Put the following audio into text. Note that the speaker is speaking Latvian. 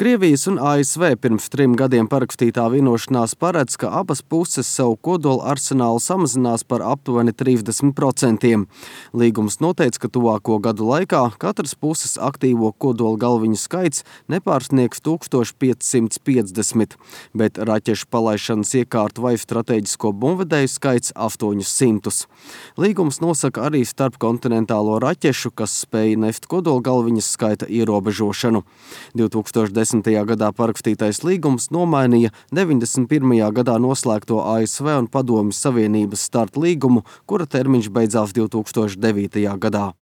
Krievijas un ASV pirms 3 gadiem parakstītā vienošanās paredz, ka abas puses savu kodola arsenālu samazinās par aptuveni 30%. Līgums noteica, ka tuvāko gadu laikā katras puses aktīvo kodola galviņu skaits nepārsniegs 1550, bet raķešu palaišanas iekārtu vai strateģisko bumbvedēju skaits 800. Līgums nosaka arī starpkontinentālo raķešu, kas spēja nest kodola galviņas skaita ierobežošanu. 2010. gadā parakstītais līgums nomainīja 91. gadā noslēgto ASV un Padomju Savienības starta līgumu, kura termiņš beidzās 2009. gadā.